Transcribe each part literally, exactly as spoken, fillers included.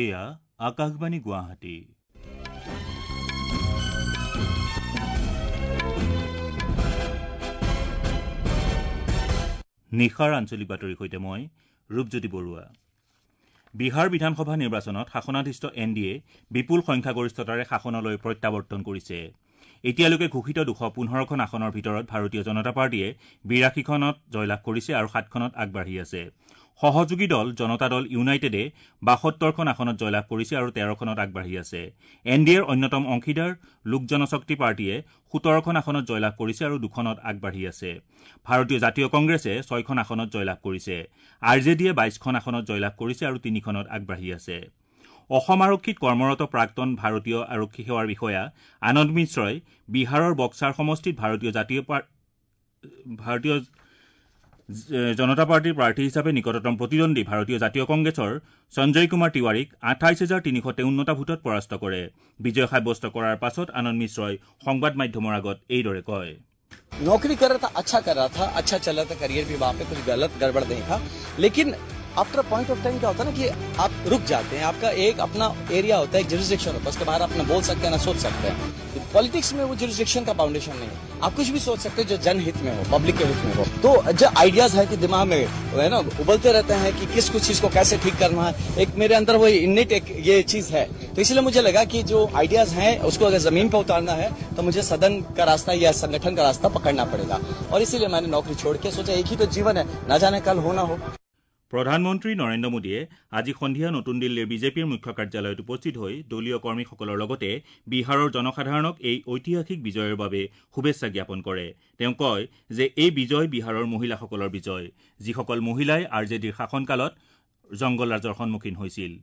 এয়া আকাশবাণী গুৱাহাটী। নিশাৰ আঞ্চলিক বাতৰিৰ সৈতে মই ৰূপজ্যোতি বৰুৱা। বিহাৰ বিধানসভা নিৰ্বাচনত শাসনাধিষ্ঠ এন ডি এ বিপুল সংখ্যাগৰিষ্ঠতাৰে শাসনলৈ প্ৰত্যাৱৰ্তন কৰিছে। এতিয়ালৈকে ঘোষিত দুশ পোন্ধৰখন আসনৰ ভিতৰত ভাৰতীয় জনতা পাৰ্টীয়ে বিৰাশীখনত জয়লাভ কৰিছে আৰু সাতখনত আগবাঢ়ি আছে। সহযোগী দল জনতা দল ইউনাইটেডে বাসত্তৰখন আসনত জয়লাভ কৰিছে আৰু তেৰখনত আগবাঢ়ি আছে। এন ডি এৰ অন্যতম অংশীদাৰ লোক জনশক্তি পাৰ্টীয়ে সোতৰখন আসনত জয়লাভ কৰিছে আৰু দুখনত আগবাঢ়ি আছে। ভাৰতীয় জাতীয় কংগ্ৰেছে ছয়খন আসনত জয়লাভ কৰিছে। আৰ জে ডিয়ে বাইশখন আসনত জয়লাভ কৰিছে আৰু তিনিখনত আগবাঢ়ি আছে। অসম আৰক্ষীত কৰ্মৰত প্ৰাক্তন ভাৰতীয় আৰক্ষী সেৱাৰ বিষয়া আনন্দ মিশ্ৰই বিহাৰৰ বক্সাৰ সমষ্টিত ভাৰতীয় জাতীয় ভাৰতীয় জনতা পাৰ্টীৰ প্ৰাৰ্থী হিচাপে নিকটতম প্ৰতিদ্বন্দ্বী ভাৰতীয় জাতীয় কংগ্ৰেছৰ সঞ্জয় কুমাৰ তিৱাৰীক আঠাইছ হাজাৰ তিনিশ তেৱন্নটা ভোটত পৰাস্ত কৰে। বিজয় সাব্যস্ত কৰাৰ পাছত আনন্দ মিশ্ৰই সংবাদ মাধ্যমৰ আগত এইদৰে কয়, नौकरी कर रहा था, अच्छा कर रहा था, अच्छा चल रहा था, करियर भी वहां पे कुछ गलत गड़बड़ नहीं था। लेकिन आफ्टर पॉइंट ऑफ टाइम क्या होता है ना कि आप रुक जाते हैं, आपका एक अपना एरिया होता है, एक जुरिस्डिक्शन होता है, उसके बाहर आप ना बोल सकते हैं ना सोच सकते हैं। पॉलिटिक्स में वो जुरिस्डिक्शन का बाउंडेशन नहीं है, आप कुछ भी सोच सकते हैं जो जनहित में हो, पब्लिक के हित में हो। तो जो आइडियाज है कि दिमाग में है ना उबलते रहते हैं कि किस कुछ चीज को कैसे ठीक करना है, एक मेरे अंदर वो इन्नेट एक ये चीज है। तो इसलिए मुझे लगा कि जो आइडियाज हैं उसको अगर जमीन पर उतारना है तो मुझे सदन का रास्ता या संगठन का रास्ता पकड़ना पड़ेगा। और इसीलिए मैंने नौकरी छोड़ के सोचा एक ही तो जीवन है, ना जाने कल हो ना हो। প্ৰধানমন্ত্ৰী নৰেন্দ্ৰ মোদীয়ে আজি সন্ধিয়া নতুন দিল্লীৰ বিজেপিৰ মুখ্য কাৰ্যালয়ত উপস্থিত হৈ দলীয় কৰ্মীসকলৰ লগতে বিহাৰৰ জনসাধাৰণক এই ঐতিহাসিক বিজয়ৰ বাবে শুভেচ্ছা জ্ঞাপন কৰে। তেওঁ কয় যে এই বিজয় বিহাৰৰ মহিলাসকলৰ বিজয়, যিসকল মহিলাই আৰ জে ডিৰ শাসনকালত জংগলৰাজৰ সন্মুখীন হৈছিল।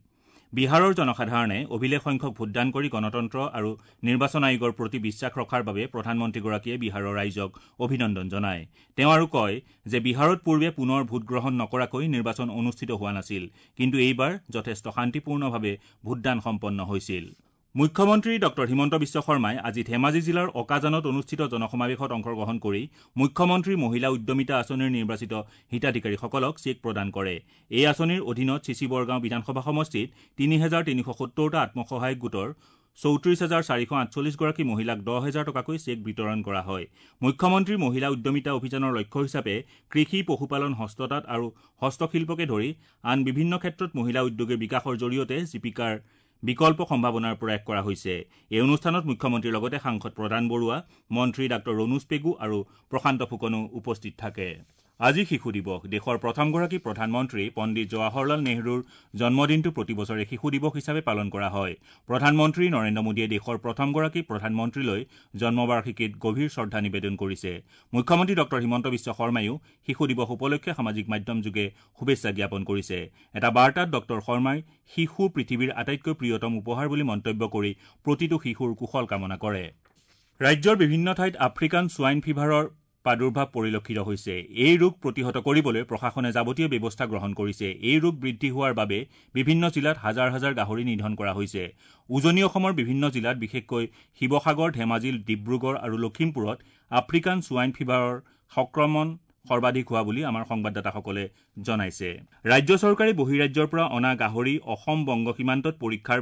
বিহাৰৰ জনসাধাৰণে অভিলেখ সংখ্যক ভোটদান কৰি গণতন্ত্ৰ আৰু নিৰ্বাচন আয়োগৰ প্ৰতি বিশ্বাস ৰখাৰ বাবে প্ৰধানমন্ত্ৰীগৰাকীয়ে বিহাৰৰ ৰাইজক অভিনন্দন জনায়। তেওঁ আৰু কয় যে বিহাৰত পূৰ্বে পুনৰ ভোটগ্ৰহণ নকৰাকৈ নিৰ্বাচন অনুষ্ঠিত হোৱা নাছিল, কিন্তু এইবাৰ যথেষ্ট শান্তিপূৰ্ণভাৱে ভোটদান সম্পন্ন হৈছিল। মুখ্যমন্ত্ৰী ডঃ হিমন্ত বিশ্ব শৰ্মাই আজি ধেমাজি জিলাৰ অকাজানত অনুষ্ঠিত জনসমাৱেশত অংশগ্ৰহণ কৰি মুখ্যমন্ত্ৰী মহিলা উদ্যমিতা আঁচনিৰ নিৰ্বাচিত হিতাধিকাৰীসকলক চেক প্ৰদান কৰে। এই আঁচনিৰ অধীনত চিচিবৰগাঁও বিধানসভা সমষ্টিত তিনি হেজাৰ তিনিশ সত্তৰটা আত্মসহায়ক গোটৰ চৌত্ৰিশ হাজাৰ চাৰিশ আঠচল্লিছগৰাকী মহিলাক দহ হেজাৰ টকাকৈ চেক বিতৰণ কৰা হয়। মুখ্যমন্ত্ৰী মহিলা উদ্যমিতা অভিযানৰ লক্ষ্য হিচাপে কৃষি, পশুপালন, হস্ততাঁত আৰু হস্তশিল্পকে ধৰি আন বিভিন্ন ক্ষেত্ৰত মহিলা উদ্যোগীৰ বিকাশৰ জৰিয়তে জীৱিকাৰ বিকল্প সম্ভাৱনাৰ প্ৰয়াস কৰা হৈছে। এই অনুষ্ঠানত মুখ্যমন্ত্ৰীৰ লগতে সাংসদ প্ৰদান বৰুৱা, মন্ত্ৰী ডাঃ ৰণোজ পেগু আৰু প্ৰশান্ত ফুকনো উপস্থিত থাকে। আজি শিশু দিৱস। দেশৰ প্ৰথমগৰাকী প্ৰধানমন্ত্ৰী পণ্ডিত জৱাহৰলাল নেহৰুৰ জন্মদিনটো প্ৰতি বছৰে শিশু দিৱস হিচাপে পালন কৰা হয়। প্ৰধানমন্ত্ৰী নৰেন্দ্ৰ মোদীয়ে দেশৰ প্ৰথমগৰাকী প্ৰধানমন্ত্ৰীলৈ জন্মবাৰ্ষিকীত গভীৰ শ্ৰদ্ধা নিবেদন কৰিছে। মুখ্যমন্ত্ৰী ডঃ হিমন্ত বিশ্ব শৰ্মাইও শিশু দিৱস উপলক্ষে সামাজিক মাধ্যমযোগে শুভেচ্ছা জ্ঞাপন কৰিছে। এটা বাৰ্তাত ডঃ শৰ্মাই শিশু পৃথিৱীৰ আটাইতকৈ প্ৰিয়তম উপহাৰ বুলি মন্তব্য কৰি প্ৰতিটো শিশুৰ কুশল কামনা কৰে। ৰাজ্যৰ বিভিন্ন ঠাইত আফ্ৰিকান ছোৱাইন ফিভাৰৰ প্ৰাদুৰ্ভাৱ পৰিলক্ষিত হৈছে। এই ৰোগ প্ৰতিহত কৰিবলৈ প্ৰশাসনে যাৱতীয় ব্যৱস্থা গ্ৰহণ কৰিছে। এই ৰোগ বৃদ্ধি হোৱাৰ বাবে বিভিন্ন জিলাত হাজাৰ হাজাৰ গাহৰি নিধন কৰা হৈছে। উজনি অসমৰ বিভিন্ন জিলাত বিশেষকৈ শিৱসাগৰ, ধেমাজি, ডিব্ৰুগড় আৰু লখিমপুৰত আফ্ৰিকান ছোৱাইন ফিভাৰৰ সংক্ৰমণ সৰ্বাধিক হোৱা বুলি আমাৰ সংবাদদাতাসকলে জনাইছে। ৰাজ্য চৰকাৰে বহিৰাজ্যৰ পৰা অনা গাহৰি অসম বংগ সীমান্তত পৰীক্ষাৰ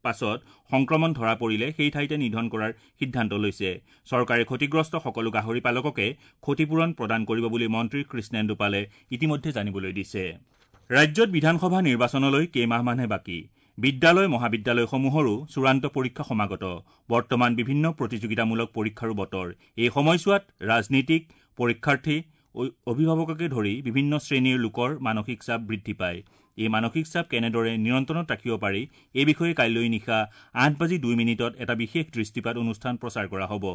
পাছত সংক্ৰমণ ধৰা পৰিলে সেই ঠাইতে নিধন কৰাৰ সিদ্ধান্ত লৈছে। চৰকাৰে ক্ষতিগ্ৰস্ত সকলো গাহৰি পালককে ক্ষতিপূৰণ প্ৰদান কৰিব বুলি মন্ত্ৰী কৃষ্ণেন্দু পালে ইতিমধ্যে জানিবলৈ দিছে। ৰাজ্যত বিধানসভা নিৰ্বাচনলৈ কেইমাহমানহে বাকী। বিদ্যালয়, মহাবিদ্যালয়সমূহৰো চূড়ান্ত পৰীক্ষা সমাগত। বৰ্তমান বিভিন্ন প্ৰতিযোগিতামূলক পৰীক্ষাৰো বতৰ। এই সময়ছোৱাত ৰাজনীতিক, পৰীক্ষাৰ্থী, অভিভাৱককে ধৰি বিভিন্ন শ্ৰেণীৰ লোকৰ মানসিক চাপ বৃদ্ধি পায়। এই মানসিক চাপ কেনেদৰে নিয়ন্ত্ৰণত ৰাখিব পাৰি এই বিষয়ে কাইলৈ নিশা আঠ বাজি দুই মিনিটত এটা বিশেষ দৃষ্টিপাত অনুষ্ঠান প্ৰচাৰ কৰা হ'ব।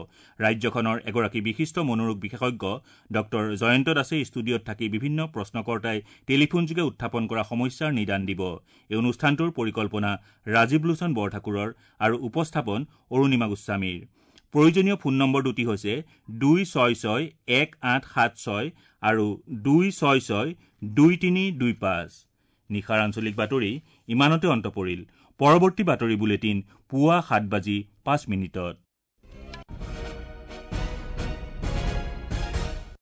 ৰাজ্যখনৰ এগৰাকী বিশিষ্ট মনোৰোগ বিশেষজ্ঞ ডঃ জয়ন্ত দাসে ষ্টুডিঅ'ত থাকি বিভিন্ন প্ৰশ্নকৰ্তাই টেলিফোনযোগে উত্থাপন কৰা সমস্যাৰ নিদান দিব। এই অনুষ্ঠানটোৰ পৰিকল্পনা ৰাজীৱ লোচন বৰঠাকুৰৰ আৰু উপস্থাপন অৰুণিমা গোস্বামীৰ। প্ৰয়োজনীয় ফোন নম্বৰ দুটি হৈছে দুই ছয় ছয় এক আঠ সাত ছয় আৰু দুই ছয় ছয় দুই তিনি দুই পাঁচ। নিশাৰ আঞ্চলিক বাতৰি ইমানতে অন্ত পৰিল। পৰৱৰ্তী বাতৰি বুলেটিন পুৱা সাত বাজি পাঁচ মিনিটত।